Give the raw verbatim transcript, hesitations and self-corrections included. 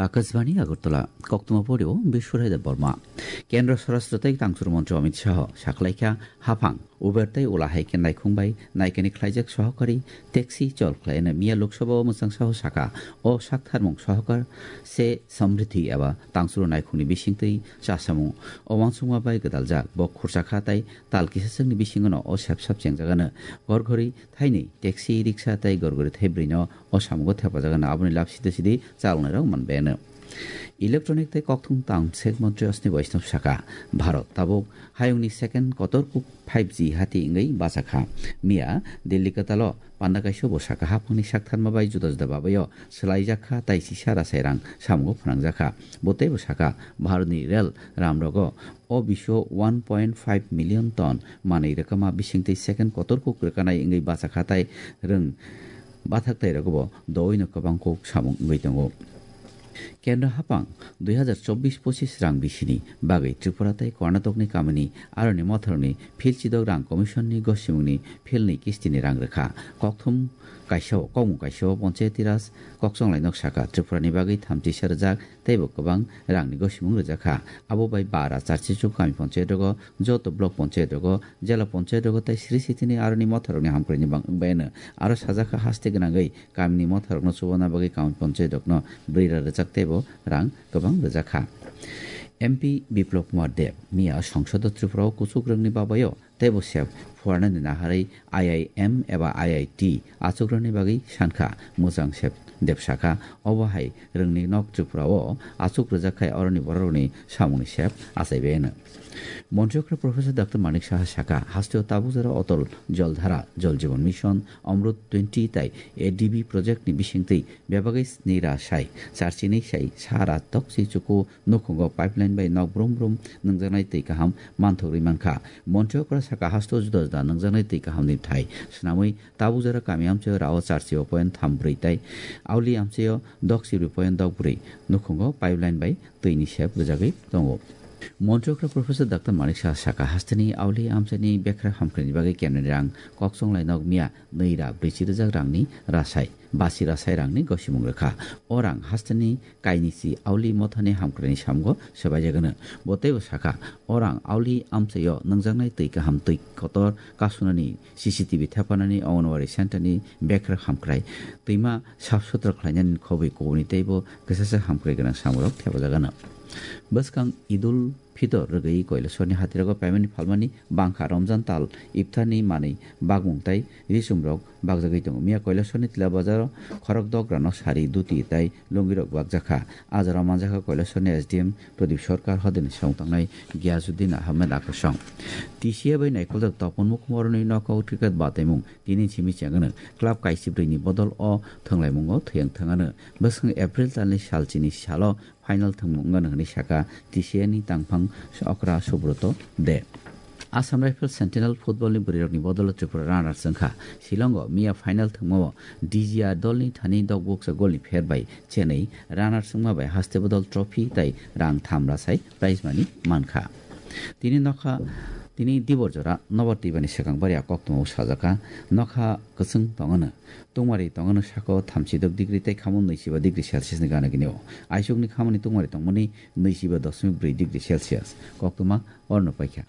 Akashbani Agartala, koktwma porio Biswaraida Borma. Kendra Swarashtra tei Tangchur Montri Amit Shah sakhlaikha haphang Uber tei Ula hai khe naikhung bai naikani khlaijak sohokari taxi chol khlaina miya Lok Sabha o mwchang saho saka o saktharmung sohokar se samriddhi eba tangchuro naikhungni bisingtwi chasamung o wansukma bai gwdaljak bo khursa kha tei tal kisasakni bisingono o sepsap chengjagano gorgori thainwi taxi, riksa tei gorgori thaibrwino o samungo thepajagano aboni lab sidi sidi chalongnai rok manbayano. Electronic tei kokthung tang sek montri Ashwini Vaishnaw saka, Bharat tabuk hayungni second kotor kuk five G hati wngwi bachakha. Miya Delhi kwtalo panda kaisa bo saka haphangni saktharma bai juda juda babayo swlaijakha tei sisa rasai rang samungo phnangjakha. Bo teibo saka Bharatni rel ramrogo o bisio one point five million ton manwi rwkama bisingtwi second kotor kuk rwkanai wngwi bachakha tei rwng bathak tei rogobo doino kwbang kuk samung wngwi tongo. Kendra haphang dui hazar chobbish pochis rang bisini bagwi Tripura tei Karnatokni kamini aroni motharokni phil chidok rang commissionni gosimungni philni kistini rang rwkha. Kokthum kaisao, kokmung kaisao Panchayati Raj kokchonglai nok saka Tripurani bagwi thamchi sa rwjak teibo kwbang rangni gosimung rwjakha. Abo bai bara charchi chuk kami panchayat rogo, joto block panchayat rogo, jela panchayat rogo tei sri sitini aroni motharokni hamkrai ni bang wngbai ano. Aro sajak kha haste gwnangwi kamini motharokno chubana bagwi kami panchayat rokno brwi ra rwjak teibo rang kwbang rwjakha. M P Biplab Kumar Deb miya songsodo Tripura o kuchuk rwngni babayo teibo sep phuarnani naharwi I I M eba I I T achukrani bagwi sankha. Mwchang sep Deb sakha, obo hai rwngni nok Tripura o achuk rwjak khai oroni bororokni samungni sep achaibai ano. Montri okra Professor Doctor Manik Saha sakha, hasteo tabuk jora Otol Jol Dhara, Jol Jeevan Mission, Amrut twenty tai A D B project ni bisingtwi bebagwi sni ra sai, charchini sai, sa ra tokchi chuku nukhungo pipeline bai nok brum brum nwngjaknai twi kaham manthogwi mankha. Montri okra saka hasteo juda juda nwngjaknai twi kahamni thai swnamwi tabuk jora kami amchaio rao charchio point tham brwi tai auli amchaio dok sibri point dok brwi nukhungo pipeline bai twini sep rwjagwi tongo. Montri okra Professor Doctor Manik Saha saka hasteni auli amchaini bekhra hamkrai ni bagwi kemni rang kokchonglai nok miya nwi ra brwichi rwjak rangni rasai, basi rasai rangni gosimung rwkha. O rang hasteni kainisi auli mothani hamkraini samgo swbaijagano. Bo teibo sakha, o rang auli amchaio nwngjaknai twi kaham twi kotor kasunani C C T V thepanani Anganwadi centre ni bekhra hamkrai twima sap sutra khlainani khobwi kubuni teibo kwchasa hamkrai gwnang samurok thepajagano. Bwskang Idul Fitor rwgwi Koilaswrni hatirogo payment phalmani bangkha Ramjan tal iftarni manwi bakmung tai risumrok bakjagwi tongo. Miya Koilaswrni Tila Bazaro khorok dograno sari, duti tai lungirok bakjakha. A jorao manjakha Koilaswrni S D M Pradip Sarkar, hodini samung tangnai Giyazuddin Ahmed Akosong. T C A bai naikoljak Topon Mukhumoroni knockout cricket bataimung tini simi chengano club kaisibrini bodol o thwnglaimungo thwiyang thangano. Bwswng April talni salchini salo final thwngmung wngano hwnwi sakha T C A ni tangphang okra Subroto De. Assam Rifles Sentinel football ni bwrwirokni bodolo Tripura runners wngkha. Shillongo miya final thwngmao D G R dolni thani dokbukcha golni pher bai chenwi runners wngma bai haste bodol trophy tai rang tham rasai prize money mankha. Tini nokha, tini dibor jora nobar twibani swkang bari a koktwmao sajakha. Nokha kwchwng tongano, tungmari tongano sako thamchi dok degree tei khamung nwichiba degree Celsius ni gana gini o. Aisukni khamani tungmari tongmani nwichiba dosmik brwi degree Celsius. Koktwma orno paikha.